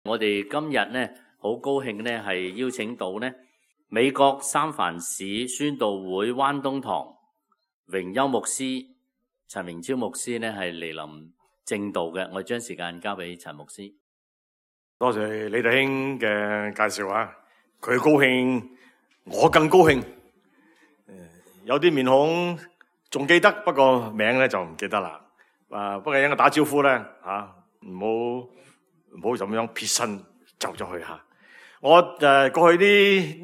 我哋今日咧好高興咧，係邀請到咧美國三藩市宣道會灣東堂榮休牧師陳明超牧師咧係嚟臨證道嘅。我將時間交俾陳牧師。多謝李弟兄嘅介紹啊！佢高興，我更高興。有啲面孔仲記得，不過名咧就唔記得啦。不過應該打招呼咧唔好咁樣撇身走咗去吓。我過去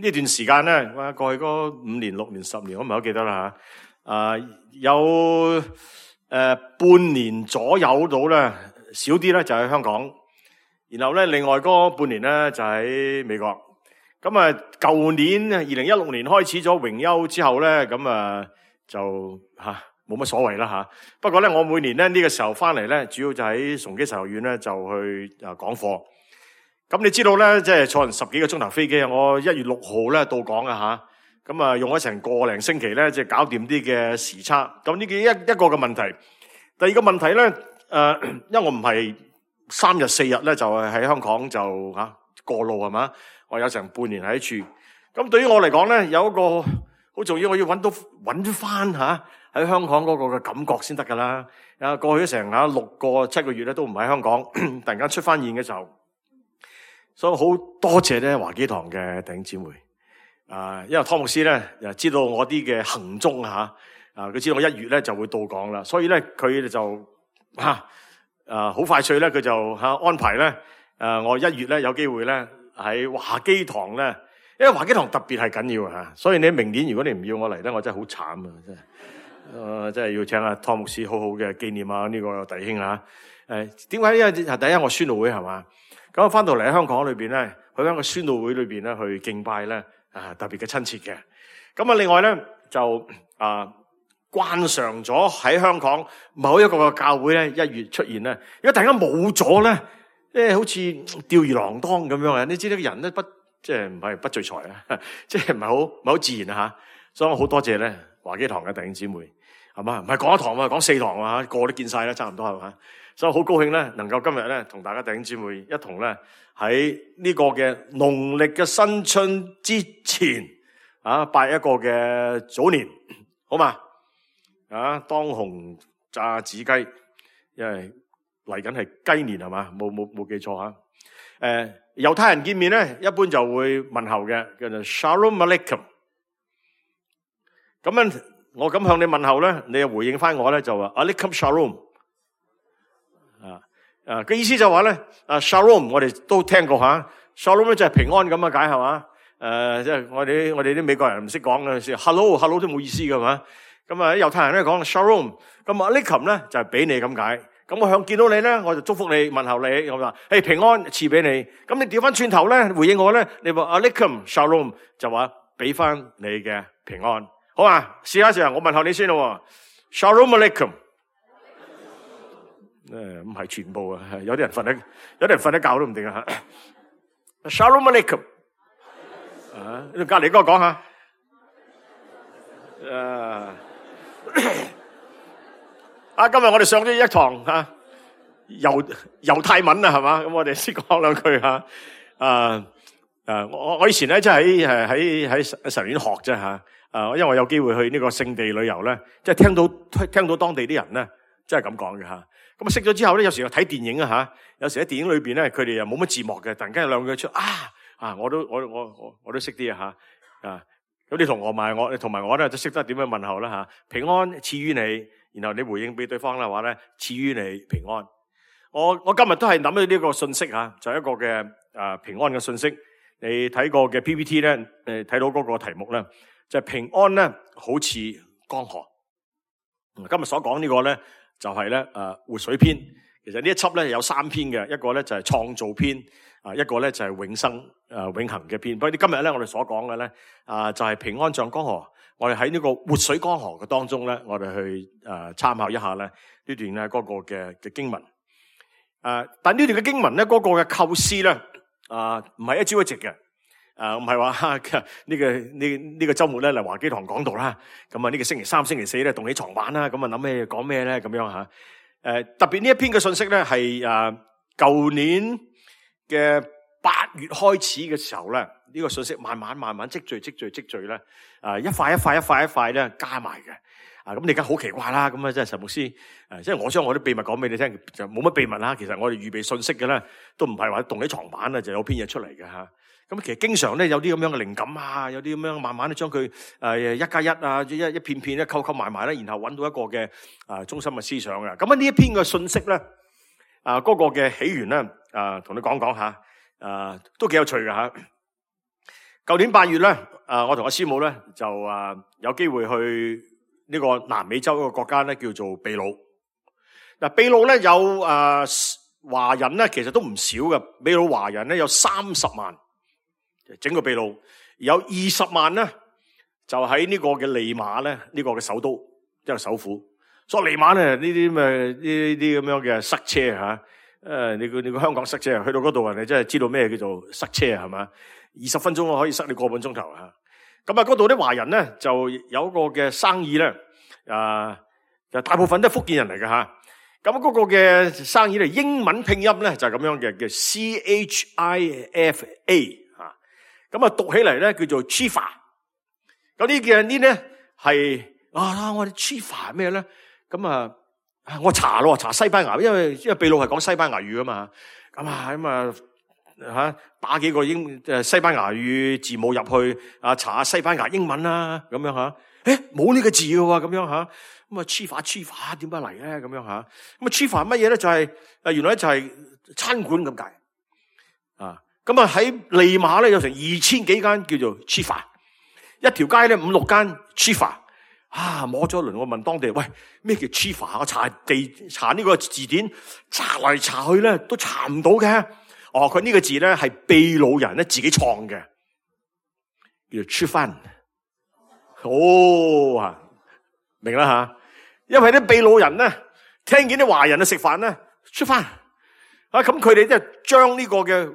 呢段時間咧，過去嗰5年、6年、10年，我唔係好記得啦吓。有半年左右到咧，少啲咧就喺香港，然後咧另外嗰半年咧就喺美國。咁舊年2016年開始咗榮休之後咧，咁就冇乜所謂啦吓。不過咧，我每年咧呢個時候翻嚟咧，主要就喺崇基神學院咧就去講課。咁你知道咧，即係坐人10幾個鐘頭飛機，我1月6號咧到港啊吓。咁用咗成個零星期咧，即係搞掂啲嘅時差。咁呢一個嘅問題。第二個問題咧，因為我唔係3日4日咧就係喺香港就過路係嘛，我有成半年喺處。咁對於我嚟講咧，有一個好重要，我要揾翻喺香港嗰個嘅感覺先得噶啦。過去咗成6個7個月咧都唔喺香港，突然間出翻現嘅時候，所以好多謝咧華基堂嘅弟兄姊妹。因為湯牧師咧又知道我啲嘅行蹤佢知道我1月咧就會到港啦，所以咧佢就好快脆咧，佢就安排咧我1月咧有機會咧喺華基堂咧，因為華基堂特別係緊要所以你明年如果你唔要我嚟咧，我真係好慘啊！真係要請阿湯牧師好好嘅紀念呢個弟兄點解？因為第一我宣道會係嘛，咁我翻到嚟喺香港裏邊咧，去翻個宣道會裏邊咧去敬拜咧特別嘅親切嘅。咁另外咧就慣常咗喺香港某一個嘅教會咧1月出現咧，如果突然間冇咗咧，好似吊兒郎當咁樣你知呢個人咧即係唔係不聚財即係唔係好自然所以我好多謝咧華基堂嘅弟兄姊妹係嘛，唔係講一堂講4堂個個都見晒啦，差唔多係嘛，所以好高興咧能夠今日咧同大家弟兄姊妹一同咧喺呢個嘅農曆嘅新春之前拜一個嘅早年，好嘛？當紅炸子雞，因為嚟緊係雞年係嘛，冇記錯猶太人見面咧，一般就會問候嘅，叫做 Shalom Aleichem。咁樣我咁向你問候咧，你又回應翻我咧，就話 Aleichem Shalom。嘅意思就話咧，Shalom 我哋都聽過Shalom 咧就係平安咁嘅解係嘛？即係我哋啲美國人唔識講嘅，Hello 都冇意思㗎嘛。咁猶太人咧講 Shalom， 咁Aleichem咧就係俾你咁解。咁我向見到你咧，我就祝福你問候你，我話平安賜俾你。咁你調翻轉頭咧回應我咧，你話 Aleichem Shalom 就話俾翻你嘅平安，好嘛？試下我問候你先咯。Shalom Aleichem， 唔係全部有啲人瞓喺覺都唔定Shalom Aleichem， 隔離嗰個講下。今日我哋上咗一堂猶太文係嘛，咁我哋先講兩句我以前咧即係喺神院學啫因為我有機會去呢個聖地旅遊咧，即係聽到當地啲人咧，即係咁講嘅咁識咗之後咧，有時候睇電影有時喺電影裏邊咧，佢哋又冇乜字幕嘅，突然間有兩句出我都識啲咁你同埋我咧，就識得點樣問候啦平安賜於你，然後你回應俾對方啦話咧，賜於你平安。我今日都係諗起呢個信息就係一個嘅平安嘅信息。你睇過嘅 PPT 咧，睇到嗰個題目咧，就係平安咧，好似江河。今日所講呢個咧，就係咧活水篇。其實呢一輯咧有3篇嘅，一個咧就係創造篇，一個咧就係永生永恆嘅篇。不過今日咧我哋所講嘅咧就係平安像江河。我哋喺呢個活水江河嘅當中咧，我哋去參考一下咧呢段咧嗰個嘅經文。但呢段嘅經文咧嗰個嘅構思咧唔係一朝一夕嘅。唔係話呢個週末咧嚟華基堂講道啦。咁呢個星期3、星期4咧動起床玩啦。咁諗咩講咩咧咁樣特別呢一篇嘅信息咧係舊年嘅8月開始嘅時候咧，呢個信息慢慢積聚咧，一塊咧加埋嘅。咁你而家好奇怪啦，咁啊，即係陳牧師，即係我將我啲秘密講俾你聽，就冇乜秘密啦。其實我哋預備信息嘅咧，都唔係話動起床板啊，就有篇嘢出嚟嘅吓。咁其實經常咧有啲咁樣嘅靈感啊，有啲咁樣慢慢咧將佢1+1啊，一片片咧溝埋咧，然後揾到一個嘅中心嘅思想嘅。咁呢一篇嘅信息咧，嗰個嘅起源咧，同你講講下，都幾有趣嘅吓。舊年8月咧，我同阿師母咧就有機會去呢個南美洲一個國家咧，叫做秘魯。嗱，秘魯咧有華人咧，其實都唔少嘅。秘魯華人咧有30萬，整個秘魯有20萬咧，就喺呢個嘅利馬咧，呢個嘅首都，即係首府。所以利馬咧呢啲咁樣嘅塞車吓，你個香港塞車，去到嗰度人哋真係知道咩叫做塞車係嘛？20分鐘可以塞你個半鐘頭吓。咁嗰度啲華人咧就有一個嘅生意咧，就大部分都係福建人嚟嘅吓。咁嗰個嘅生意咧，英文拼音咧就係咁樣嘅，叫 CHIFA 吓。咁讀起嚟咧叫做 Chifa。咁呢咧係我哋 Chifa 係咩咧？咁我查西班牙，因為秘魯係講西班牙語噶嘛。打幾個西班牙語字母入去查下西班牙英文啦，咁樣吓，冇呢個字嘅喎，咁樣吓，咁Chifa 點解嚟咧？咁樣吓，咁Chifa 乜嘢咧？就係原來就係餐館咁解咁喺利馬咧有成2000幾間叫做Chifa，一條街咧5-6間Chifa。摸咗一輪，我問當地人，喂，咩叫Chifa？我查呢個字典，查嚟查去咧都查唔到嘅。佢呢個字咧係秘魯人咧自己創嘅，叫做吃飯。明啦吓，因為啲秘魯人咧聽見啲華人食飯咧吃飯，咁佢哋即係將呢個嘅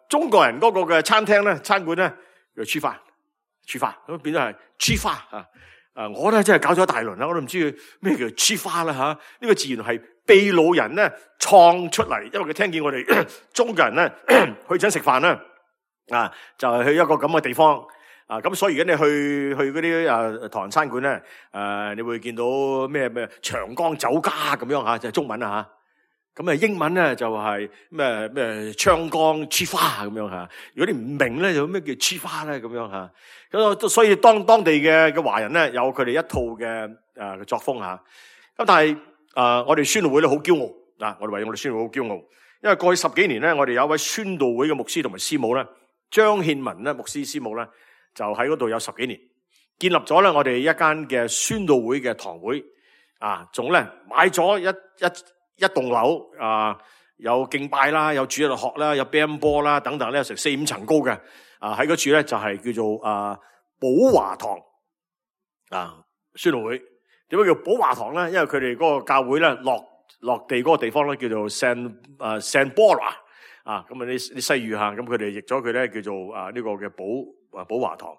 中國人嗰個嘅餐廳咧餐館咧叫吃飯，咁變咗係吃飯我咧真係搞咗一大輪啦，我都唔知咩叫吃飯啦吓，呢個字原來係秘魯人咧創出嚟，因為佢聽見我哋中國人咧去親食飯啦，就係去一個咁嘅地方咁所以而家你去嗰啲唐人餐館咧，你會見到咩長江酒家咁樣吓，就係中文啊吓。咁英文咧就係咩長江吃飯咁樣吓。如果你唔明咧，就咩叫吃飯咧咁樣吓。咁所以當地嘅華人咧有佢哋一套嘅作風吓。咁但係我哋宣道會咧好驕傲我哋為我哋宣道會好驕傲，因為過去10幾年咧，我哋有一位宣道會嘅牧師同埋師母咧，張憲文咧牧師師母咧，就喺嗰度有10幾年，建立咗咧我哋一間嘅宣道會嘅堂會仲咧買咗一棟樓有敬拜啦，有主日學啦，有乒乓波啦等等咧，成4-5層高嘅喺嗰處咧就係叫做寶華堂宣道會。點解叫寶華堂咧？因為佢哋嗰個教會咧落地嗰個地方咧叫做 San Bora 咁啲西語吓，咁佢哋譯咗佢咧叫做呢個嘅寶華堂。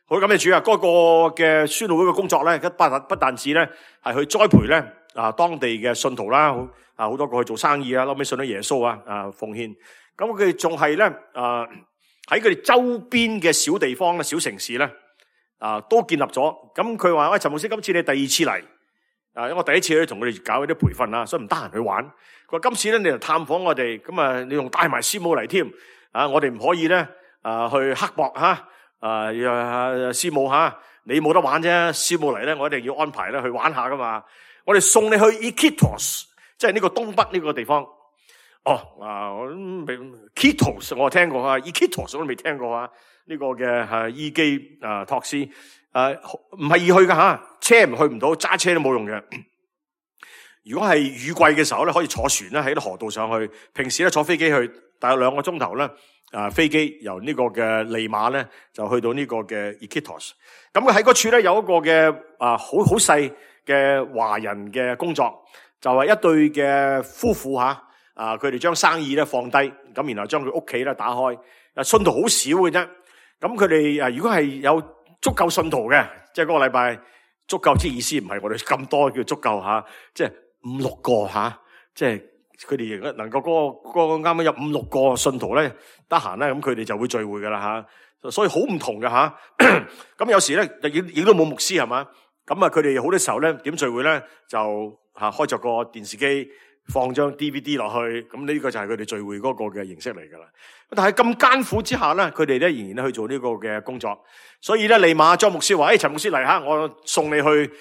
好，感謝主嗰個嘅宣道會嘅工作咧，不但止咧係去栽培咧當地嘅信徒啦，好多個去做生意後尾信咗耶穌奉獻。咁佢哋仲係咧喺佢哋周邊嘅小地方咧、小城市咧都建立咗。咁佢話：喂，陳牧師，今次你第2次嚟因為我第1次咧同佢哋搞一啲培訓啦，所以唔得閒去玩。佢話今次咧你嚟探訪我哋，咁你仲帶埋師母嚟添我哋唔可以咧去刻薄師母你冇得玩啫，師母嚟咧我一定要安排咧去玩下噶嘛。我哋送你去 Iquitos， 即係呢個東北呢個地方。Iquitos 我聽過Iquitos 我都未聽過呢個嘅伊基托斯唔係易去噶車唔去唔到，揸車都冇用嘅。如果係雨季嘅時候咧，可以坐船咧喺啲河道上去。平時咧坐飛機去，大約2個鐘頭咧。飛機由呢個嘅利馬咧就去到呢個嘅 Iquitos。咁佢喺嗰處咧有一個嘅好細嘅華人嘅工作，就係一對嘅夫婦佢哋將生意咧放低，咁然後將佢屋企咧打開。信徒好少嘅啫。咁佢哋如果係有足夠信徒嘅，即係嗰個禮拜足夠之意思，唔係我哋咁多叫足夠即係5-6個即係佢哋能夠嗰個啱啱有5-6個信徒咧得閒咧，咁佢哋就會聚會噶啦吓，所以好唔同嘅吓。咁有時咧亦都冇牧師係嘛，咁啊佢哋好多時候咧點聚會咧就開着個電視機放張 DVD 落去，咁呢個就係佢哋聚會嗰個嘅形式嚟噶啦。但係咁艱苦之下咧，佢哋咧仍然咧去做呢個嘅工作。所以咧利馬莊牧師話：陳牧師嚟吓，我送你去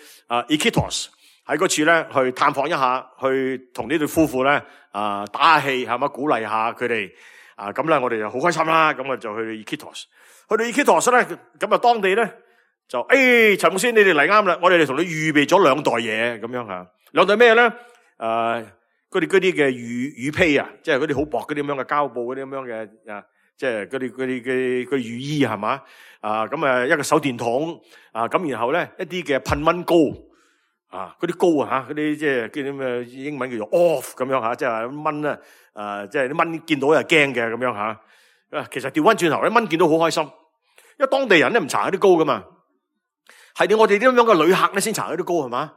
Iquitos。喺嗰處咧，去探訪一下，去同呢對夫婦咧打下氣，係嘛，鼓勵下佢哋咁咧，我哋就好開心啦。咁啊，就去 Iquitos。去到 Iquitos 咧，咁啊，當地咧就陳牧師，你哋嚟啱啦，我哋同你預備咗2袋嘢咁樣吓。2袋咩咧？嗰啲嘅雨披啊，即係嗰啲好薄嗰啲咁樣嘅膠布嗰啲咁樣嘅即係嗰啲雨衣係嘛？咁一個手電筒咁然後咧一啲嘅噴蚊膏。嗰啲膏嗰啲即係叫啲咩英文叫做 off 咁樣吓，即係蚊咧，即係啲蚊見到又驚嘅咁樣吓。其實調翻轉頭，啲蚊見到好開心，因為當地人咧唔搽嗰啲膏噶嘛，係我哋啲咁樣嘅旅客咧先搽嗰啲膏係嘛。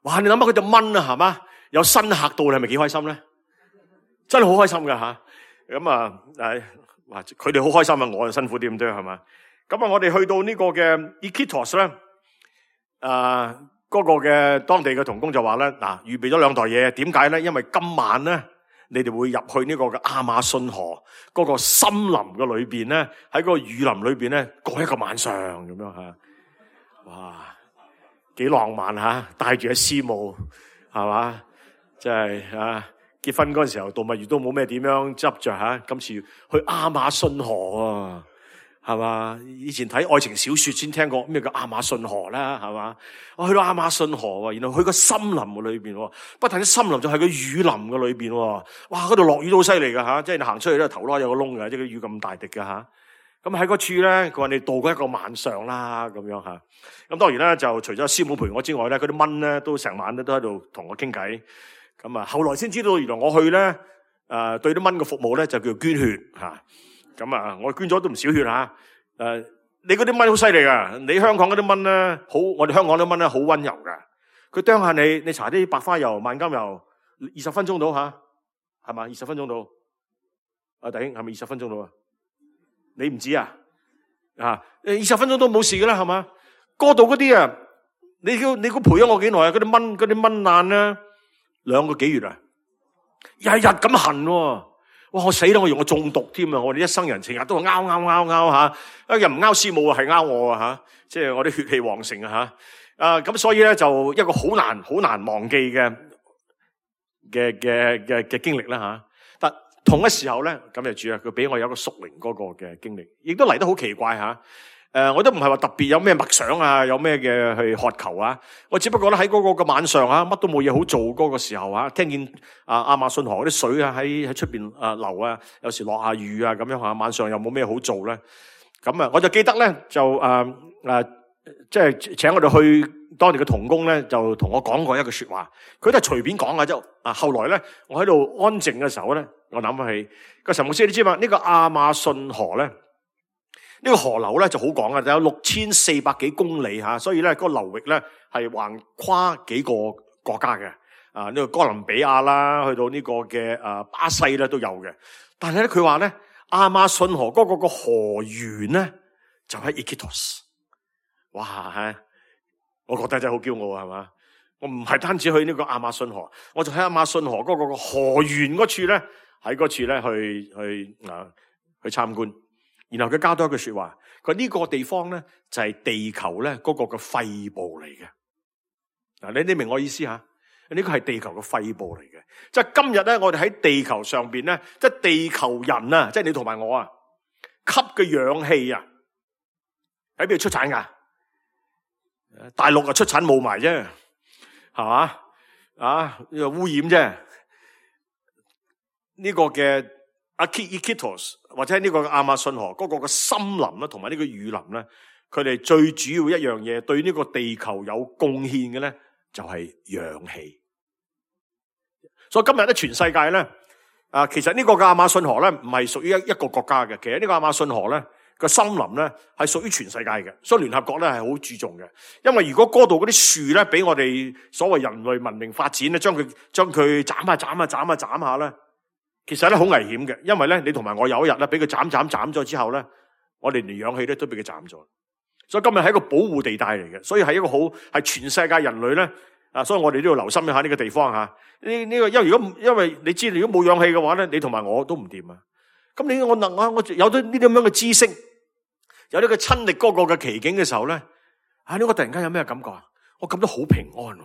哇！你諗下佢隻蚊係嘛，有新客到，你係咪幾開心咧？真係好開心噶吓。咁哇！佢哋好開心啊，我就辛苦啲咁多係嘛。咁我哋去到呢個嘅 Iquitos 咧，嗰個嘅當地嘅同工就話咧，預備咗2袋嘢，點解咧？因為今晚咧，你哋會入去呢個嘅亞馬遜河嗰個森林嘅裏邊咧，喺嗰個雨林裏邊咧過一個晚上咁樣吓。哇，幾浪漫吓，帶住一絲帽係嘛，即係結婚嗰陣時候度蜜月都冇咩點樣執着吓，今次去亞馬遜河啊！係嘛？以前睇愛情小說先聽過咩叫亞馬遜河啦，係嘛？我去到亞馬遜河，然後去個森林嘅裏邊，不但啲森林就係個雨林嘅裏邊，哇！嗰度落雨都好犀利噶吓，即係你行出去咧頭攞有個窿嘅，即係啲雨咁大滴嘅吓。咁喺嗰處咧，佢話你度過一個晚上啦，咁樣吓。咁當然啦，就除咗師母陪我之外咧，嗰啲蚊咧都成晚咧都喺度同我傾偈。咁後來先知道原來我去咧對啲蚊嘅服務咧就叫捐血吓。咁我捐咗都唔少血吓。你嗰啲蚊好犀利噶，你香港嗰啲蚊咧好，我哋香港啲蚊咧好溫柔噶。佢啄下你搽啲白花油、萬金油，20分鐘到吓，係嘛？20分鐘到。弟兄係咪20分鐘到啊？你唔知啊？20分鐘都冇事噶啦，係嘛？嗰度嗰啲你估陪咗我幾耐啊？嗰啲蚊爛咧2個幾月啊，日日咁痕喎。哇！我死啦！我以為我中毒添啊！我哋一生人成日都係拗吓，又唔拗師母係拗我吓，即係我啲血氣旺盛啊吓。咁所以咧就一個好難忘記嘅經歷啦吓。但同一時候咧，咁就主啊，佢俾我有一個屬靈嗰個嘅經歷，亦都嚟得好奇怪吓。我都唔係話特別有咩默想啊，有咩嘅去渴求啊。我只不過咧喺嗰個嘅晚上乜都冇嘢好做嗰個時候聽見亞馬遜河嗰啲水喺出邊流啊，有時落下雨啊咁樣晚上又冇咩好做咧。咁我就記得咧就即係請我哋去當地嘅同工咧，就同我講過一句說話，佢都係隨便講嘅啫。後來咧，我喺度安靜嘅時候咧，我諗起個陳牧師，你知嘛？呢個亞馬遜河咧。呢個河流咧就好講嘅，就有6400幾公里吓，所以咧嗰個流域咧係橫跨幾個國家嘅。呢個哥倫比亞啦，去到呢個嘅巴西咧都有嘅。但係咧佢話咧亞馬遜河嗰個河源咧就喺 Iquitos。哇！我覺得真係好驕傲係嘛？我唔係單止去呢個亞馬遜河，我就喺亞馬遜河嗰個河源嗰處咧，喺嗰處咧去參觀。然後佢加多一句說話，佢呢個地方咧就係地球咧嗰個嘅肺部嚟嘅。你明我意思吓？呢個係地球嘅肺部嚟嘅，即係今日咧我哋喺地球上邊咧，即係地球人啊，即係你同埋我吸嘅氧氣喺邊度出產噶？大陸出產霧霾啫，係嘛？呢個污染啫。呢個嘅Iquitos或者呢個亞馬遜河嗰個嘅森林啦，同埋呢個雨林咧，佢哋最主要一樣嘢對呢個地球有貢獻嘅咧，就係氧氣。所以今日咧，全世界咧，其實呢個嘅亞馬遜河咧，唔係屬於一個國家嘅。其實呢個亞馬遜河咧，個森林咧係屬於全世界嘅，所以聯合國咧係好注重嘅。因為如果嗰度嗰啲樹咧俾我哋所謂人類文明發展咧，將佢斬下咧，其實咧好危險嘅。因為咧你同埋我有一日咧俾佢斬咗之後咧，我哋連氧氣咧都俾佢斬咗。所以今日係一個保護地帶嚟嘅，所以係一個好係全世界人類咧所以我哋都要留心一下呢個地方吓。呢個因為你知道如果冇氧氣嘅話咧，你同埋我都唔掂啊。咁我有咗呢啲咁樣嘅知識，有呢個親歷嗰個嘅奇景嘅時候咧，呢個突然間有咩感覺啊？我感到好平安，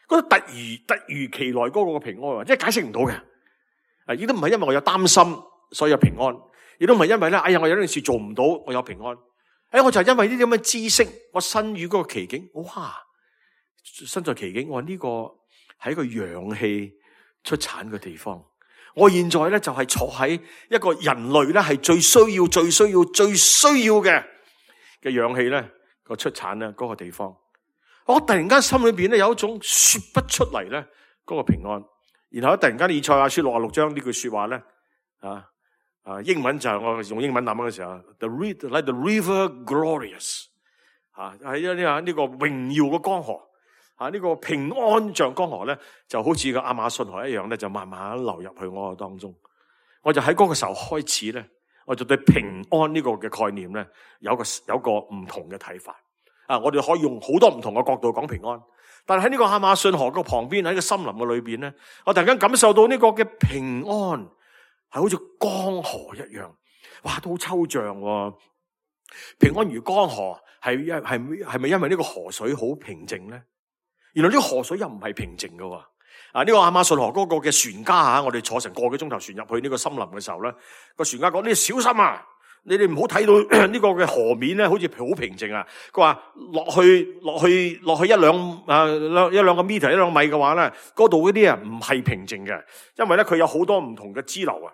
覺得突如其來嗰個嘅平安，即係解釋唔到嘅。亦都唔係因為我有擔心所以有平安，亦都唔係因為咧，我有件事做唔到我有平安。我就係因為呢啲咁嘅知識，我身處嗰個奇景，哇！身在奇景，我話呢個係一個氧氣出產嘅地方。我現在咧就係坐喺一個人類咧係最需要嘅氧氣咧個出產咧嗰個地方。我突然間心裏邊咧有一種說不出嚟咧嗰個平安。然後突然間以賽亞書66章呢句說話咧英文就係我用英文諗嘅時候 like the river glorious 喺呢個榮耀嘅江河呢個平安像江河咧就好似個亞馬遜河一樣咧，就慢慢流入去我當中。我就喺嗰個時候開始咧，我就對平安呢個嘅概念咧有個唔同嘅睇法。我哋可以用好多唔同嘅角度講平安，但係喺呢個亞馬遜河嘅旁邊，喺個森林嘅裏邊咧，我突然間感受到呢個嘅平安係好似江河一樣，哇，都好抽象喎。平安如江河，係咪因為呢個河水好平靜咧？原來呢個河水又唔係平靜㗎。呢個亞馬遜河嗰個嘅船家我哋坐成個幾鐘頭船入去呢個森林嘅時候咧，個船家講：你小心啊！你哋唔好睇到呢個嘅河面咧，好似好平靜啊。佢話落去一兩個 meter 一兩米嘅話咧，嗰度嗰啲唔係平靜嘅，因為咧佢有好多唔同嘅支流啊。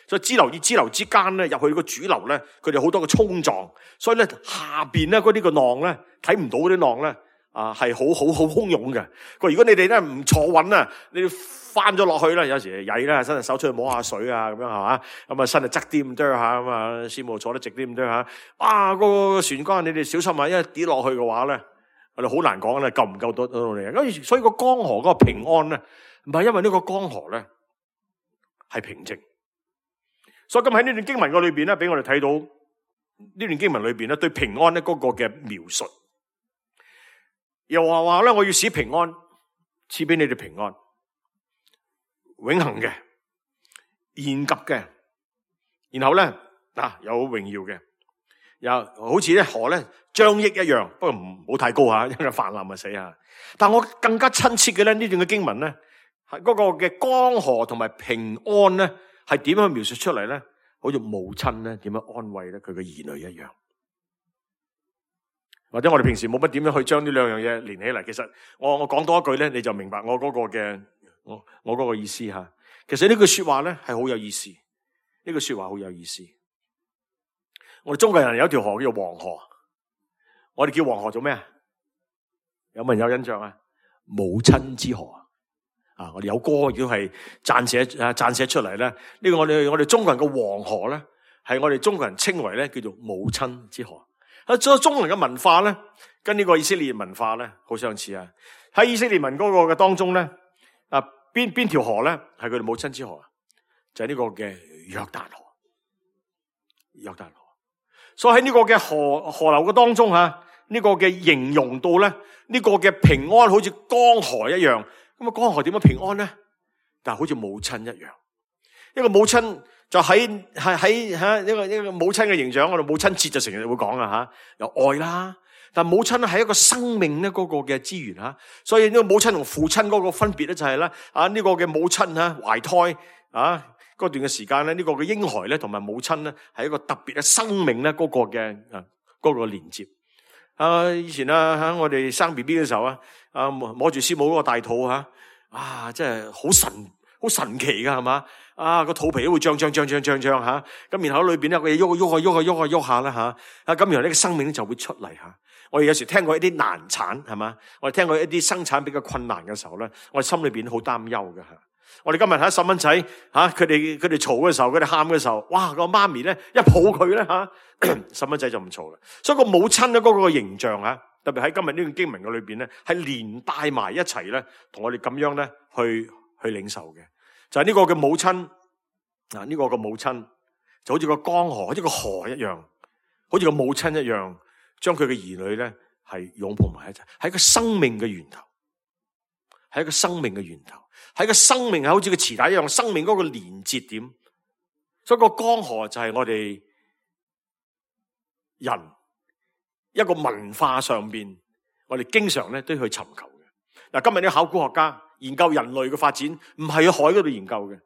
所以支流與支流之間咧，入去個主流咧，佢哋好多嘅衝撞，所以咧下邊咧嗰啲個浪咧睇唔到嗰啲浪咧。係好洶湧嘅。佢如果你哋咧唔坐穩啊，你翻咗落去咧，有時曳啦，伸隻手出去摸下水啊，咁樣係嘛，咁啊伸就側啲咁多下，咁啊師母坐得直啲咁多下。個船杆你哋小心啊，因為跌落去嘅話咧，我哋好難講咧，救唔救到你。咁所以個江河嗰個平安咧，唔係因為呢個江河咧係平靜。所以今喺呢段經文嘅裏邊咧，俾我哋睇到呢段經文裏邊咧對平安咧嗰個嘅描述。又話咧，我要使平安賜俾你哋平安，永恆嘅、現急嘅，然後咧有榮耀嘅，又好似咧河咧張益一樣，不過唔好太高因為泛濫咪死啊！但我更加親切嘅咧呢段嘅經文咧，係嗰個嘅江河同埋平安咧，係點樣描述出嚟咧？好似母親咧點樣安慰咧佢嘅兒女一樣。或者我哋平時冇乜點樣去將呢兩樣嘢連起嚟，其實我講多一句咧，你就明白我嗰個嘅我嗰個意思吓。其實呢句說話咧係好有意思，呢句說話好有意思。我哋中國人有一條河叫黃河，我哋叫黃河做咩啊？有冇人有印象啊？母親之河我哋有歌亦都係撰寫出嚟咧。呢個我哋中國人嘅黃河咧，係我哋中國人稱為咧叫做母親之河。所以中國人嘅文化咧，跟呢個以色列文化咧好相似啊！喺以色列文嗰個嘅當中咧，邊條河咧係佢哋母親之河啊？就係呢個嘅約旦河。約旦河。所以喺呢個嘅河流嘅當中呢個嘅形容到咧，呢個嘅平安好似江河一樣。咁江河點樣平安咧？但係好似母親一樣，一個母親。就喺一個母親嘅形象，我哋母親節就成日會講有愛啦。但母親係一個生命咧嗰個嘅資源所以呢個母親同父親嗰個分別咧就係咧呢個嘅母親懷胎嗰段嘅時間咧，呢個嘅嬰孩咧同埋母親咧係一個特別嘅生命咧嗰個嘅嗰個連接。以前我哋生 BB 嘅時候摸住師母嗰個大肚真係好神奇噶係嘛？個肚皮都會脹咁然後裏邊咧佢喐下啦咁然後呢個生命就會出嚟我哋有時聽過一啲難產係嘛？我哋聽過一啲生產比較困難嘅時候咧，我哋心裏邊好擔憂嘅我哋今日睇細蚊仔佢哋嘈嘅時候，佢哋喊嘅時候，哇，個媽咪咧一抱佢咧細蚊仔就唔嘈啦。所以個母親咧嗰個形象特別喺今日呢段經文嘅裏邊咧，係連帶埋一齊咧，同我哋咁樣咧去領受嘅，就係呢個嘅母親呢個嘅母親就好似個江河，好似個河一樣，好似個母親一樣，將佢嘅兒女咧係擁抱埋一齊，係一個生命嘅源頭，係一個生命嘅源頭，係一個生命係好似個臍帶一樣，生命嗰個連接點。所以個江河就係我哋人一個文化上邊，我哋經常咧都要去尋求嘅。嗱，今日啲考古學家研究人類嘅發展，唔係喺海嗰度研究嘅，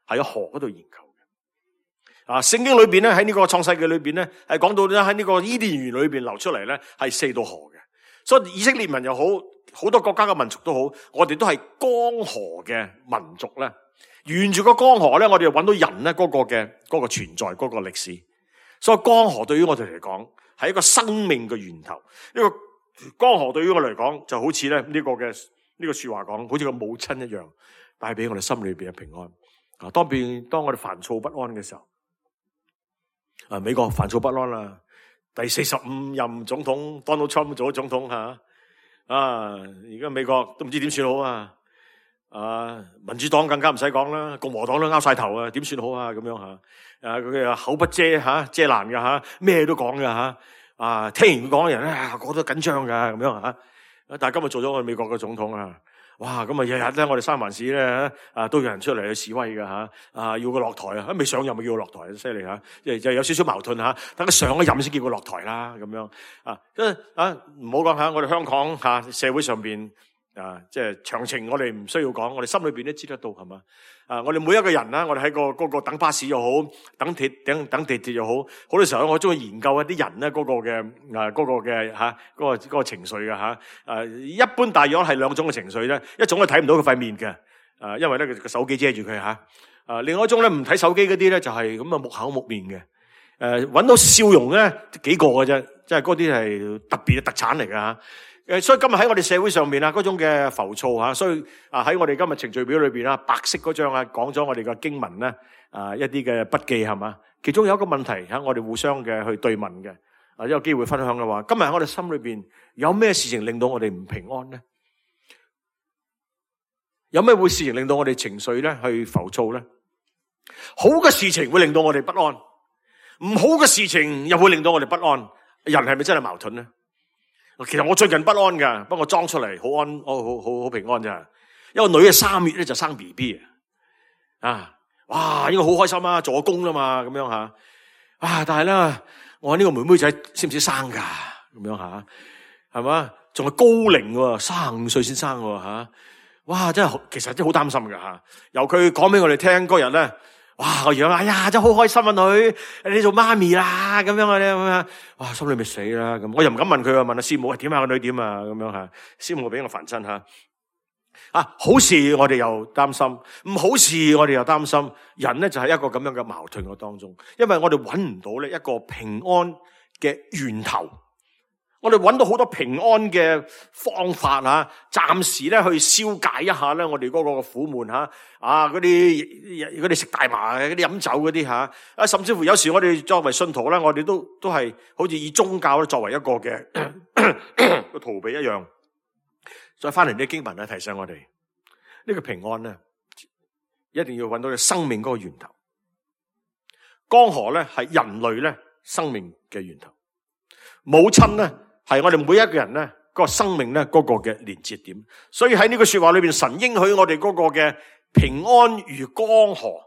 係喺河嗰度研究嘅。聖經裏邊咧，喺呢個創世紀裏邊咧，係講到咧喺呢個伊甸園裏邊流出嚟咧係4道河嘅。所以以色列民又好，好多國家嘅民族都好，我哋都係江河嘅民族咧。沿住個江河咧，我哋就揾到人咧嗰個存在嗰個歷史。所以江河對於我哋嚟講係一個生命嘅源頭。呢個江河對於我嚟講就好似咧呢個說話講，好似個母親一樣，帶俾我哋心裏邊嘅平安。當我哋煩躁不安嘅時候，美國煩躁不安啦，第45任總統 Donald Trump 做咗總統而家美國都唔知點算好民主黨更加唔使講啦，共和黨都拗晒頭點算好咁樣佢口不遮遮攔嘅咩都講嘅聽完講嘅人咧，個個都緊張噶咁樣但係今日做咗我哋美國嘅總統哇！咁日日咧，我哋三藩市咧都有人出嚟去示威嘅要佢落台未上任咪叫佢落台，犀利就有少少矛盾等佢上咗任先叫佢落台啦咁樣唔好講我哋香港社會上邊即係詳情我哋唔需要講，我哋心裏邊都知得到係嘛我哋每一個人我哋喺嗰個等巴士又好，等地鐵又好，好多時候我中意研究一啲人咧嗰個情緒嘅一般大約係2種嘅情緒咧，一種係睇唔到佢塊面嘅因為咧佢個手機遮住佢另外一種咧唔睇手機嗰啲咧就係咁木口木面嘅搵到笑容咧幾個嘅啫，即係嗰啲係特別嘅特產嚟㗎所以今日喺我哋社會上面嗰種嘅浮躁所以喺我哋今日程序表裏邊白色嗰張講咗我哋嘅經文咧一啲嘅筆記係嘛，其中有一個問題我哋互相嘅去對問嘅有機會分享嘅話，今日喺我哋心裏邊有咩事情令到我哋唔平安咧？有咩事情令到我哋情緒咧去浮躁咧？好嘅事情會令到我哋不安，唔好嘅事情又會令到我哋不安。人係咪真係矛盾咧？其實我最近不安噶，不過裝出嚟好平安咋。因為女嘅3月咧就生 BB 哇，應該好開心做工啦嘛，咁樣但係咧，我呢個妹妹仔識唔識生噶？咁樣係嘛？仲係高齡喎，35歲先生喎哇，真係其實真係好擔心噶由佢講俾我哋聽嗰日咧。哇！個樣哎呀，真係好開心女，你做媽咪啦咁樣哇，心裏咪死啦咁，我又唔敢問佢問師母點個女點咁樣師母俾我煩親好事我哋又擔心，唔好事我哋又擔心，人咧就係一個咁樣嘅矛盾嘅當中，因為我哋揾唔到咧一個平安嘅源頭。我哋揾到好多平安嘅方法暫時咧去消解一下咧我哋嗰個苦悶嗰啲食大麻嗰啲飲酒嗰啲甚至乎有時我哋作為信徒咧，我哋都係好似以宗教咧作為一個嘅個逃避一樣。再翻嚟啲經文提醒我哋呢個平安咧，一定要揾到你生命嗰個源頭。江河咧係人類咧生命嘅源頭，母親咧係我哋每一個人咧個生命咧嗰個嘅連接點，所以喺呢個說話裏邊，神應許我哋嗰個嘅平安如江河，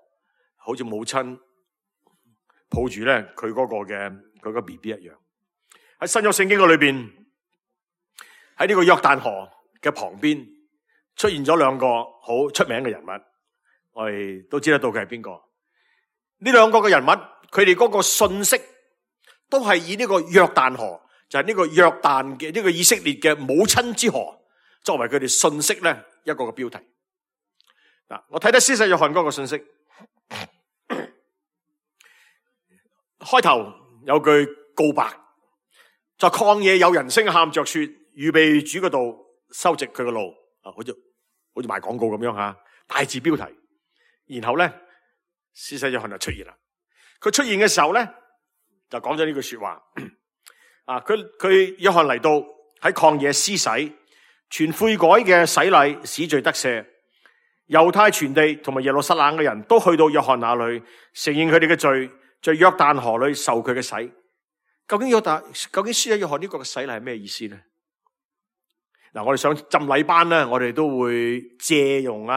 好似母親抱住咧佢嗰個嘅佢個 BB 一樣。喺新約聖經嘅裏邊，喺呢個約旦河嘅旁邊出現咗2個好出名嘅人物，我哋都知得到佢係邊個。呢2個嘅人物，佢哋嗰個信息都係以呢個約旦河，就係呢個約旦嘅呢個以色列嘅母親之河，作為佢哋信息咧一個嘅標題。我睇得施洗約翰嗰個信息，開頭有句告白，在曠野有人聲喊着說，預備主嘅道，修直佢嘅路，好似賣廣告咁樣大字標題。然後咧，施洗約翰就出現啦。佢出現嘅時候咧，就講咗呢句說話。佢約翰嚟到喺曠野施洗，傳悔改嘅洗禮，使罪得赦。猶太全地同埋耶路撒冷嘅人都去到約翰那裏，承認佢哋嘅罪，在約旦河裏受佢嘅洗。究竟施洗約翰呢個嘅洗禮係咩意思咧？嗱，我哋上浸禮班咧，我哋都會借用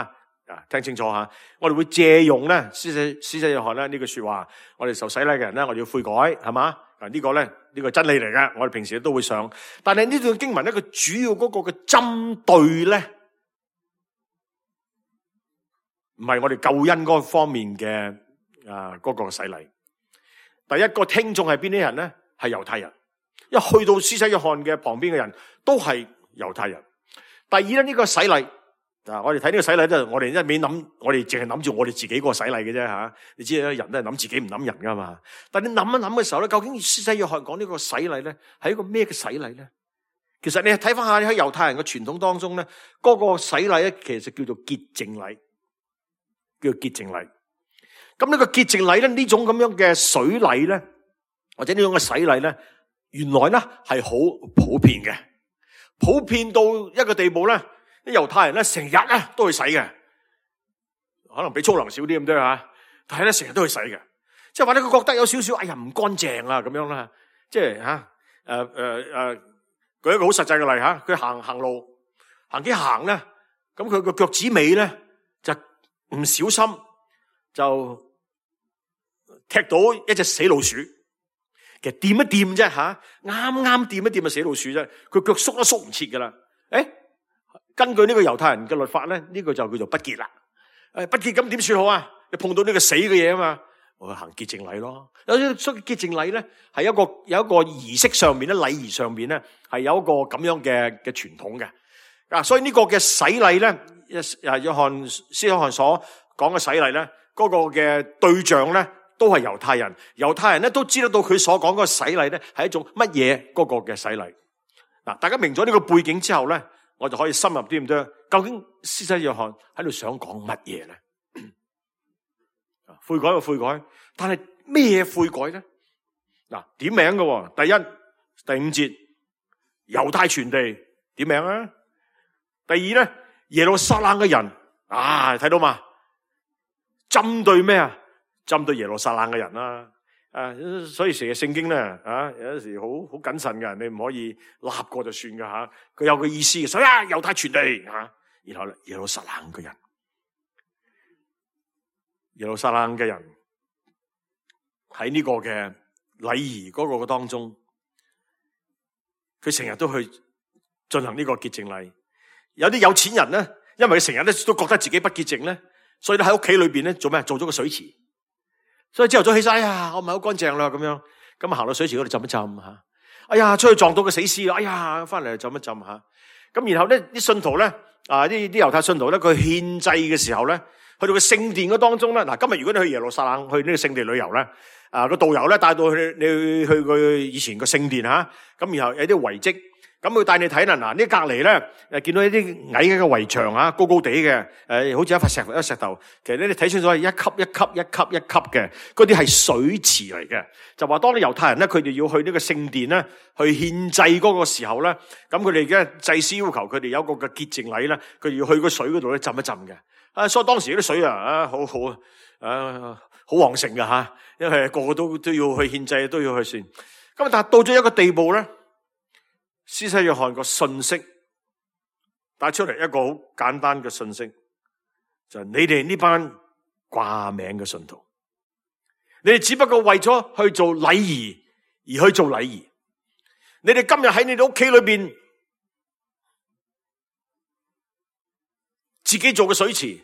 聽清楚吓，我哋會借用咧施洗約翰咧呢句說話。我哋受洗禮嘅人咧，我哋要悔改，係嘛？呢個咧呢個真理嚟嘅，我哋平時都會上。但係呢段經文咧，佢主要嗰個嘅針對咧，唔係我哋救恩嗰方面嘅嗰個洗禮。第一個聽眾係邊啲人咧？係猶太人。一去到施洗約翰嘅旁邊嘅人都係猶太人。第二咧，呢個洗禮。我哋睇呢個洗禮都係我哋一味諗，我哋淨係諗住我哋自己個洗禮嘅啫吓。你知啦，人都係諗自己唔諗人噶嘛。但係你諗一諗嘅時候咧，究竟施洗約翰講呢個洗禮咧，係一個咩嘅洗禮咧？其實你睇翻下喺猶太人嘅傳統當中咧，嗰個洗禮咧，其實叫做潔淨禮，叫做潔淨禮。咁呢個潔淨禮咧，呢種咁樣嘅水禮咧，或者呢種嘅洗禮咧，原來咧係好普遍嘅，普遍到一個地步咧。啲猶太人咧成日咧都去洗嘅，可能比粗糧少啲咁多吓，但係咧成日都去洗嘅，即係話咧佢覺得有少少哎呀唔乾淨啊咁樣啦，即係舉一個好實際嘅例吓，佢行路行幾行咧，咁佢個腳趾尾咧就唔小心就踢到一隻死老鼠，其實掂一掂啫吓，啱啱掂一掂就死老鼠啫，佢腳縮都縮唔切噶啦，根據呢個猶太人嘅律法咧，呢個就叫做不潔啦。不潔咁點算好啊？你碰到呢個死嘅嘢啊嘛，我行潔淨禮咯。所以潔淨禮咧係有一個儀式上面咧，禮儀上面咧係有一個咁樣嘅傳統嘅。所以呢個嘅洗禮咧，施洗約翰所講嘅洗禮咧，嗰個嘅對象咧都係猶太人。猶太人咧都知得到佢所講嗰個洗禮咧係一種乜嘢嗰個嘅洗禮。大家明咗呢個背景之後咧，我就可以深入啲咁多。究竟施洗約翰喺度想講乜嘢咧？悔改就悔改，但係咩悔改咧？點名嘅，第一、第五節猶太全地點名啊。第二咧，耶路撒冷嘅人睇到嘛？針對咩啊？針對耶路撒冷嘅人啦。所以成日聖經咧，有時好謹慎嘅，你唔可以立過就算噶吓。佢有個意思嘅，所以猶太全地然後耶路撒冷嘅人，耶路撒冷嘅人喺呢個嘅禮儀嗰個當中，佢成日都去進行呢個潔淨禮。有啲有錢人咧，因為佢成日咧都覺得自己不潔淨咧，所以咧喺屋企裏邊咧做咩？做咗個水池。所以朝頭早起晒，我唔係好乾淨啦咁樣，咁行到水池嗰度浸一浸吓。哎呀，出去撞到個死屍啦！哎呀，翻嚟浸一浸吓。咁然後咧，啲信徒咧，啲猶太信徒咧，佢獻祭嘅時候咧，去到個聖殿嗰當中咧，今日如果你去耶路撒冷去呢個聖地旅遊咧，個導遊咧帶到去你去佢以前個聖殿吓，咁然後有啲遺跡。咁佢帶你睇啦，呢隔籬咧，見到一啲矮嘅圍牆高高地嘅，好似一塊石頭。其實咧，你睇清楚係一級一級一級一級嘅，嗰啲係水池嚟嘅。就話當啲猶太人咧，佢哋要去呢個聖殿咧，去獻祭嗰個時候咧，咁佢哋嘅祭司要求佢哋有一個嘅潔淨禮咧，佢哋要去個水嗰度咧浸一浸嘅。所以當時啲水好旺盛嘅吓，因為個個都要去獻祭，都要去算。咁但係到咗一個地步咧。施洗約翰個信息帶出嚟一個好簡單嘅信息，就係你哋呢班掛名嘅信徒，你哋只不過為咗去做禮儀而去做禮儀。你哋今日喺你哋屋企裏邊自己做個水池，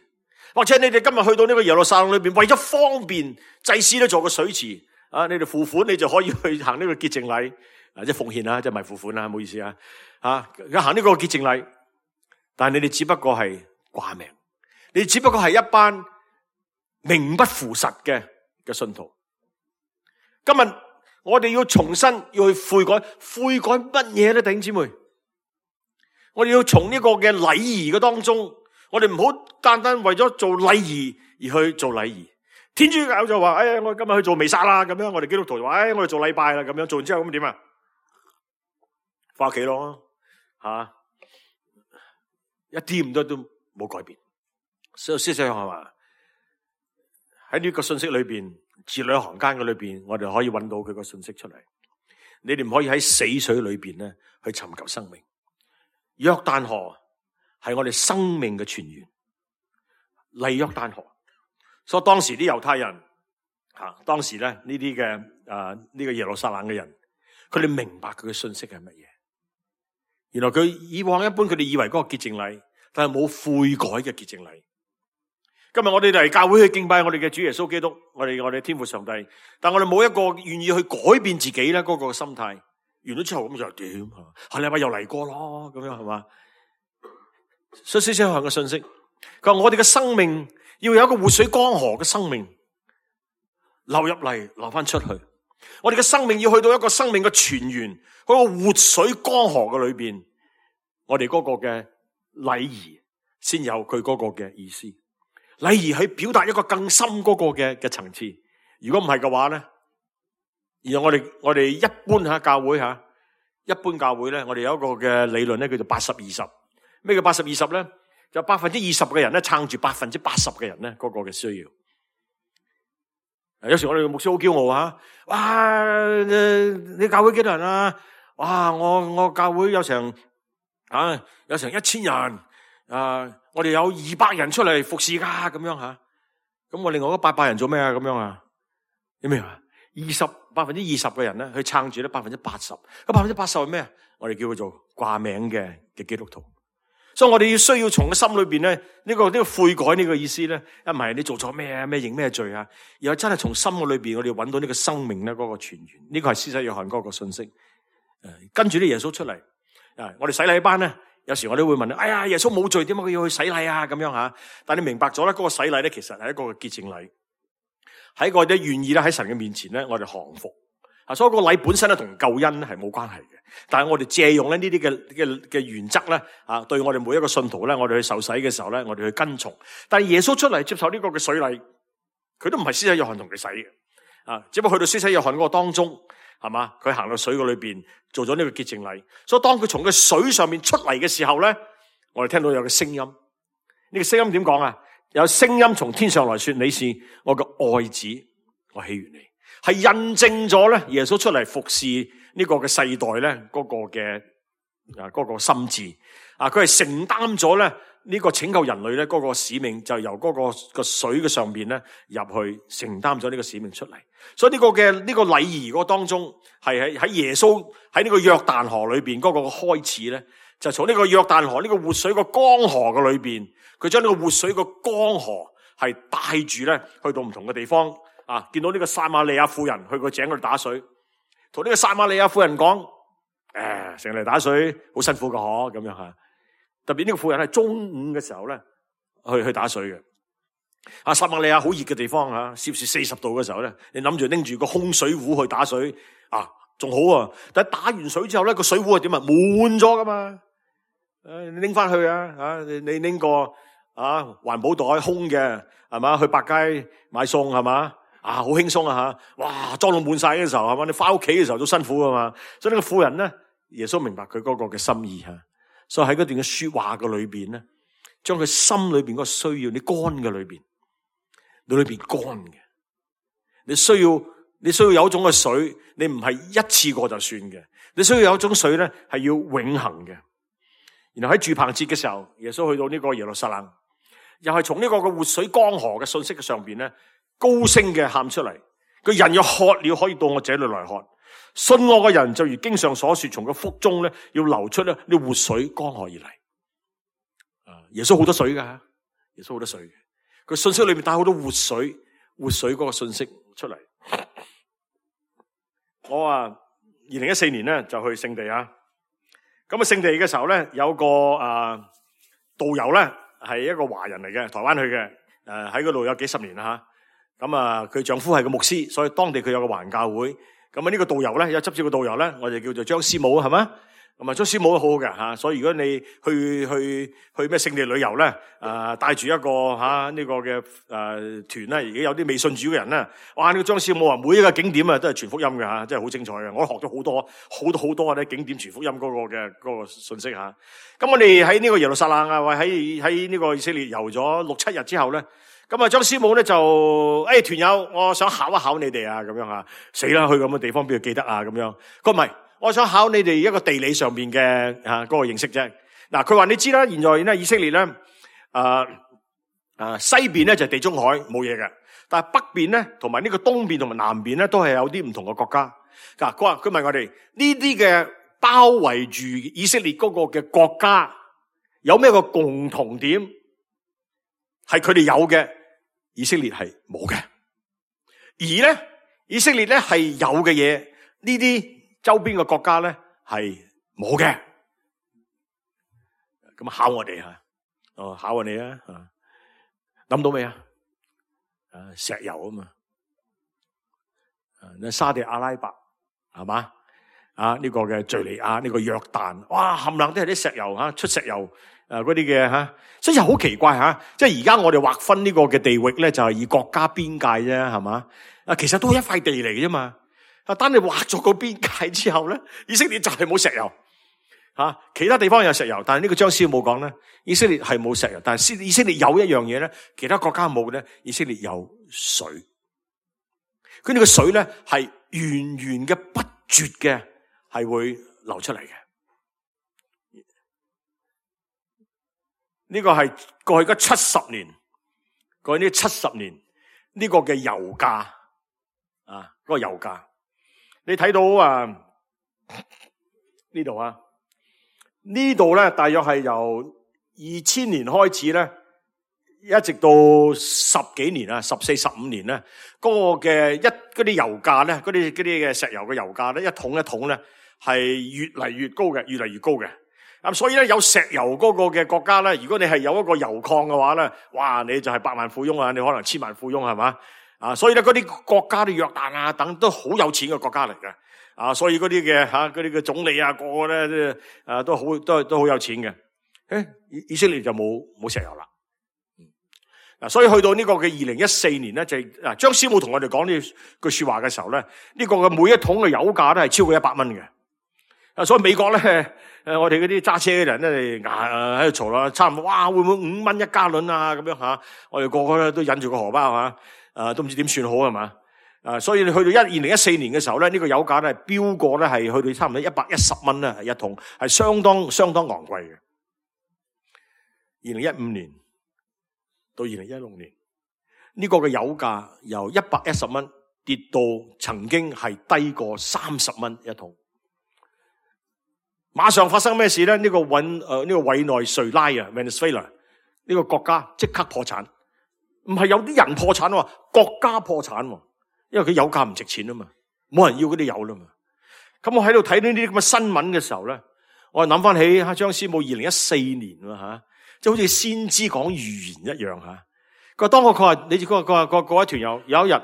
或者你哋今日去到呢個耶路撒冷裏邊，為咗方便祭司都做個水池，你哋付款你就可以去行呢個潔淨禮。即係奉獻啦，即係唔係付款啦，唔好意思啊！行呢個潔淨禮，但係你哋只不過係掛名，你哋只不過係一班名不符實嘅信徒。今日我哋要重新要去悔改，悔改乜嘢咧？弟兄姊妹，我哋要從呢個嘅禮儀嘅當中我哋唔好單單為咗做禮儀而去做禮儀。天主教就話，我今日去做彌撒啦，咁樣我哋基督徒就話，我哋做禮拜啦，咁樣做完之後咁點啊？翻屋企咯，一啲都冇改變。所以思想係嘛？喺呢個信息裏邊，字裏行間嘅裏邊，我哋可以揾到佢個信息出嚟。你哋唔可以喺死水裏邊咧去尋求生命。約旦河係我哋生命嘅泉源，麗約旦河。所以當時啲猶太人，當時咧呢啲嘅呢個耶路撒冷嘅人，佢哋明白佢嘅信息係乜嘢。原來佢以往一般佢哋以為嗰個潔淨禮，但係冇悔改嘅潔淨禮。今日我哋嚟教會去敬拜我哋嘅主耶穌基督，我哋天父上帝，但我哋冇一個願意去改變自己咧嗰個心態。完咗之後咁就點？下禮拜又嚟過咯，咁樣係嘛？所以思想嘅信息，佢話我哋嘅生命要有一個活水江河嘅生命流入嚟，流翻出去。我哋嘅生命要去到一個生命嘅泉源，嗰個活水江河嘅裏邊，我哋嗰個嘅禮儀先有佢嗰個嘅意思。禮儀去表達一個更深嗰個嘅層次。如果唔係嘅話咧，而我哋一般教會一般教會咧，我哋有一個嘅理論咧，叫做80-20。咩叫80-20咧？就20%嘅人咧撐住80%嘅人咧嗰個嘅需要。有時我哋嘅牧師好驕傲哇！你教會幾多人啊？哇！我教會有成1000人我哋有200人出嚟服侍噶咁樣咁我另外嗰800人做咩咁樣你明嘛？20%嘅人咧去撐住咧80%。咁80%係咩？我哋叫佢做掛名嘅基督徒。所以我哋需要從個心裏邊咧呢個悔改呢個意思咧，唔係你做錯咩認咩罪而係真係從心嘅裏邊我哋揾到呢個生命咧嗰個泉源。呢個係施洗約翰嗰個信息。跟住啲耶穌出嚟我哋洗禮班咧。有時我哋會問耶穌冇罪，點解佢要去洗禮咁樣但你明白咗咧，嗰個洗禮咧，其實係一個潔淨禮，係一個咧願意咧喺神嘅面前咧，我哋降服所以個禮本身咧同救恩係冇關係嘅，但係我哋借用咧呢啲嘅原則咧對我哋每一個信徒咧，我哋去受洗嘅時候咧，我哋去跟從。但係耶穌出嚟接受呢個嘅水禮，佢都唔係施洗約翰同佢洗嘅只不過去到施洗約翰嗰個當中。係嘛？佢行到水嗰裏邊做咗呢個潔淨禮，所以當佢從個水上面出嚟嘅時候咧，我哋聽到有個聲音。呢個聲音點講有聲音從天上來說：你是我嘅愛子，我喜悅你。係印證咗咧耶穌出嚟服侍呢個嘅世代咧嗰個嘅嗰個心志佢係承擔咗咧呢個拯救人類咧嗰個使命，就由嗰個水嘅上邊咧入去承擔咗呢個使命出嚟。所以呢個禮儀嗰當中係喺耶穌喺呢個約旦河裏邊嗰個開始咧，就從呢個約旦河呢個活水個江河嘅裏邊，佢將呢個活水個江河係帶住咧去到唔同嘅地方見到呢個撒瑪利亞婦人去個井嗰度打水，同呢個撒瑪利亞婦人講成日嚟打水好辛苦噶咁樣特別呢個婦人係中午嘅時候咧去打水嘅。撒瑪利亞好熱嘅地方攝氏40度嘅時候咧，你諗住拎住個空水壺去打水仲好但係打完水之後咧，個水壺係點滿咗噶嘛？你拎翻去你拎個環保袋空嘅係嘛？去百佳買餸係嘛？好輕鬆哇裝到滿晒嘅時候係嘛？你翻屋企嘅時候都辛苦噶嘛？所以呢個婦人咧，耶穌明白佢嗰個嘅心意所以喺嗰段嘅說話嘅裏邊咧，將佢心裏邊嗰個需要，你乾嘅裏邊。你裏邊乾嘅，你需要有一種嘅水，你唔係一次過就算嘅，你需要有一種水咧係要永恆嘅。然後喺住棚節嘅時候，耶穌去到呢個耶路撒冷，又係從呢個嘅活水江河嘅信息嘅上邊咧，高聲嘅喊出嚟：個人若渴了，可以到我這裏來喝。信我嘅人就如經上所說，從個腹中咧要流出咧呢活水江河而嚟。耶穌好多水噶，耶穌好多水嘅。佢信息裏面帶好多活水嗰個信息出嚟。我2014年咧就去聖地咁聖地嘅時候咧有個導遊咧係一個華人嚟嘅，台灣去嘅，喺嗰度有幾十年啦咁佢丈夫係個牧師，所以當地佢有個華人教會。咁呢個導遊咧有執照嘅導遊咧，我哋叫做張師母係嘛？咁啊，張師母都好好嘅吓，所以如果你去咩聖地旅遊咧，帶住一個呢個嘅團咧，而家有啲未信主嘅人咧，哇！呢個張師母啊，每一個景點啊都係傳福音嘅吓，真係好精彩嘅。我學咗好多啲景點傳福音嗰個信息吓。咁我哋喺呢個耶路撒冷啊，或喺呢個以色列遊咗6-7日之後咧，咁啊張師母咧就團友，我想考一考你哋啊，咁樣吓，死啦，去咁嘅地方邊度記得啊，咁樣。佢唔係。我想考你哋一個地理上邊嘅嗰個認識啫。嗱，佢話你知啦，現在咧以色列咧，西邊咧就係地中海冇嘢嘅，但係北邊咧同埋呢個東邊同埋南邊咧都係有啲唔同嘅國家。嗱，佢問我哋呢啲嘅包圍住以色列嗰個嘅國家有咩個共同點？係佢哋有嘅，以色列係冇嘅。而咧以色列咧係有嘅嘢，呢啲周邊嘅國家咧係冇嘅，咁考我哋考我哋啊，諗到未啊？石油啊嘛，沙地阿拉伯係嘛？呢個嘅敘利亞，呢個約旦，哇，冚唪唥都係啲石油出石油嗰啲嘅所以好奇怪即係而家我哋劃分呢個嘅地域咧，就係以國家邊界啫，係嘛？其實都係一塊地嚟嘅啫嘛。當你劃咗個邊界之後咧，以色列就係冇石油其他地方有石油，但係呢個張師母講咧，以色列係冇石油，但係以色列有一樣嘢咧，其他國家冇咧，以色列有水。佢哋個水咧係源源嘅不絕嘅，係會流出嚟嘅。呢個係過去嗰70年，過去呢70年呢個嘅油價嗰個油價。你睇到呢度咧，大約係由2000年開始咧，一直到10幾年14、15年咧，嗰啲油價咧，嗰啲嘅石油嘅油價咧，一桶一桶咧係越嚟越高嘅，越嚟越高嘅。咁所以咧，有石油嗰個嘅國家咧，如果你係有一個油礦嘅話咧，哇，你就係百萬富翁啊，你可能千萬富翁係嘛？所以咧，嗰啲國家啲約旦等都好有錢嘅國家嚟嘅，所以嗰啲嘅總理個個咧都好有錢嘅。以色列就冇石油啦。所以去到呢個嘅2014年咧，就係張師母同我哋講呢句說話嘅時候咧，呢個嘅每一桶嘅油價都係超過100蚊嘅。所以美國咧，我哋嗰啲揸車嘅人咧喺度嘈啦，差唔多哇，會唔會5蚊1加侖啊？咁樣我哋個個咧都忍住個荷包都唔知點算好係嘛？所以你去到2014年嘅時候咧，呢個油價咧飆過咧係去到差唔多110蚊啦，一桶係相當昂貴嘅。2015年到2016年，呢個嘅油價由110蚊跌到曾經係低過30蚊一桶。馬上發生咩事咧？呢個委內瑞拉Venezuela 呢個國家即刻破產。唔係有啲人破產喎，國家破產喎，因為佢油價唔值錢啊嘛，冇人要嗰啲油啦嘛。咁我喺度睇呢啲咁嘅新聞嘅時候咧，我諗翻起張師母2014年即係好似先知講預言一樣佢話你佢話各位團友，有一日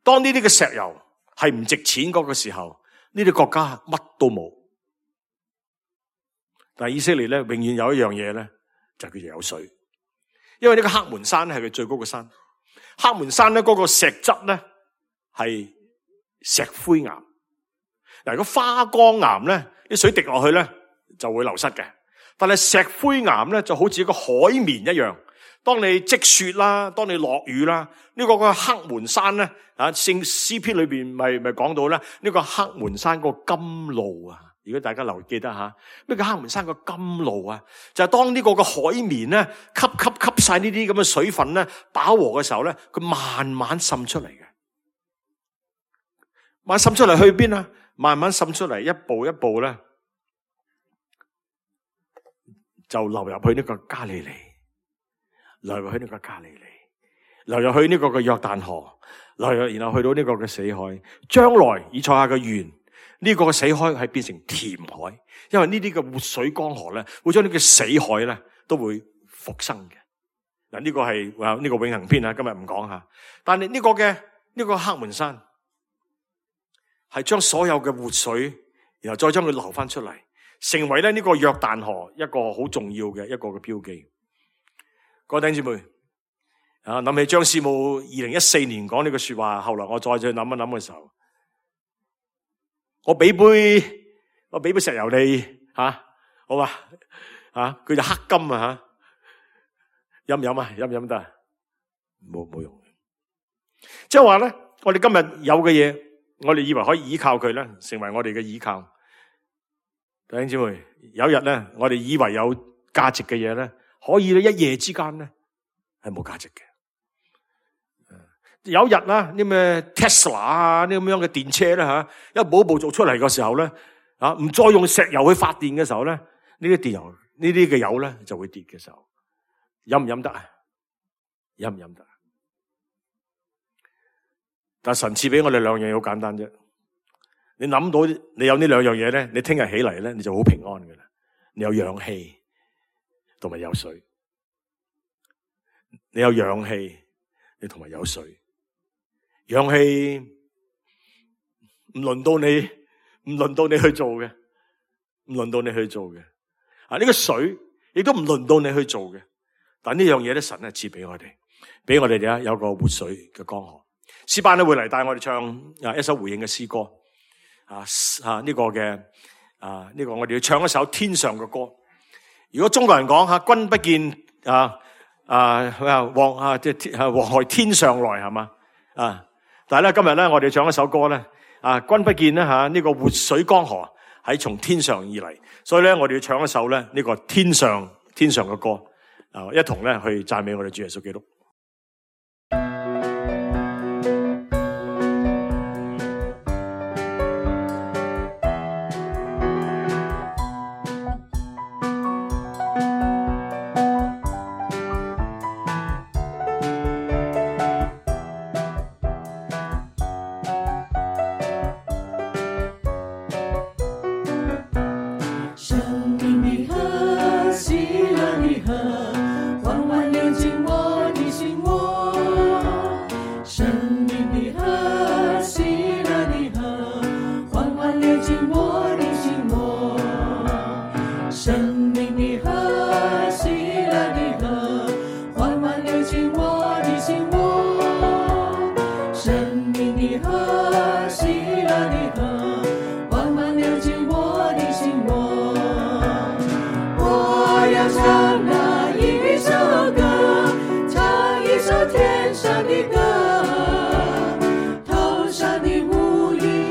當呢啲嘅石油係唔值錢嗰個時候，呢啲國家乜都冇。但係以色列咧，永遠有一樣嘢咧，就叫做有水。因為呢個黑門山係佢最高嘅山，黑門山咧嗰個石質咧係石灰岩。嗱，如果花崗岩咧，啲水滴落去咧就會流失嘅。但係石灰岩咧就好似一個海綿一樣，當你積雪啦，當你落雨啦，呢個黑門山咧詩篇裏邊咪講到咧，呢個黑門山個甘露如果大家記得咩叫黑門山個甘露就係當呢個嘅海綿咧吸晒呢啲咁嘅水分咧飽和嘅時候咧，佢慢慢滲出嚟嘅，慢慢滲出嚟去邊啊？慢慢滲出嚟，一步一步咧就流入去呢個加利利，流入去呢個加利利，流入去呢個嘅約旦河，然後去到呢個嘅死海。將來以賽亞嘅預言，呢個嘅死海係變成甜海，因為呢啲嘅活水江河咧，會將呢個死海咧都會復生嘅。嗱，呢個係呢個永恆篇今日唔講下。但係呢個黑門山係將所有嘅活水，然後再將佢流翻出嚟，成為咧呢個約旦河一個好重要嘅一個嘅標記。各位弟兄姊妹，諗起張師母2014年講呢句說話，後來我再去諗一諗嘅時候，我俾杯石油你好嘛？佢就黑金飲唔飲啊？飲唔飲得？冇用。即係話咧，我哋今日有嘅嘢，我哋以為可以依靠佢咧，成為我哋嘅依靠。弟兄姊妹，有日咧，我哋以為有價值嘅嘢咧，可以咧一夜之間咧係冇價值嘅。有日啦，啲咩 Tesla 啊，啲咁樣嘅電車咧一步一步做出嚟嘅時候咧，唔再用石油去發電嘅時候咧，呢啲嘅油咧就會跌嘅時候，飲唔飲得啊？飲唔飲得？但係神賜俾我哋兩樣嘢好簡單啫。你諗到你有呢兩樣嘢咧，你聽日起嚟咧，你就好平安噶啦。你有氧氣同埋有水，你有氧氣，你同埋有水。氧氣唔輪到你去做嘅，唔輪到你去做嘅。呢個水亦都唔輪到你去做嘅。但呢樣嘢咧，神係賜俾我哋，俾我哋咧有個活水嘅江河。詩班咧會嚟帶我哋唱一首回應嘅詩歌。呢個我哋要唱一首天上嘅歌。如果中國人講君不見黃河天上來係嘛但係咧今日咧我哋唱一首歌咧君不見咧呢個活水江河係從天上而嚟，所以咧我哋要唱一首咧呢個天上嘅歌一同咧去讚美我哋主耶穌基督。天上的歌，头上的乌云。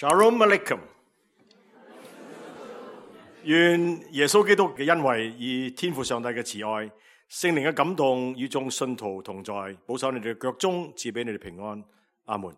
Shalom Alaikum。願耶穌基督嘅恩惠以天父上帝嘅慈愛、聖靈嘅感動與眾信徒同在，保守你哋嘅腳蹤，賜俾你哋平安。阿門。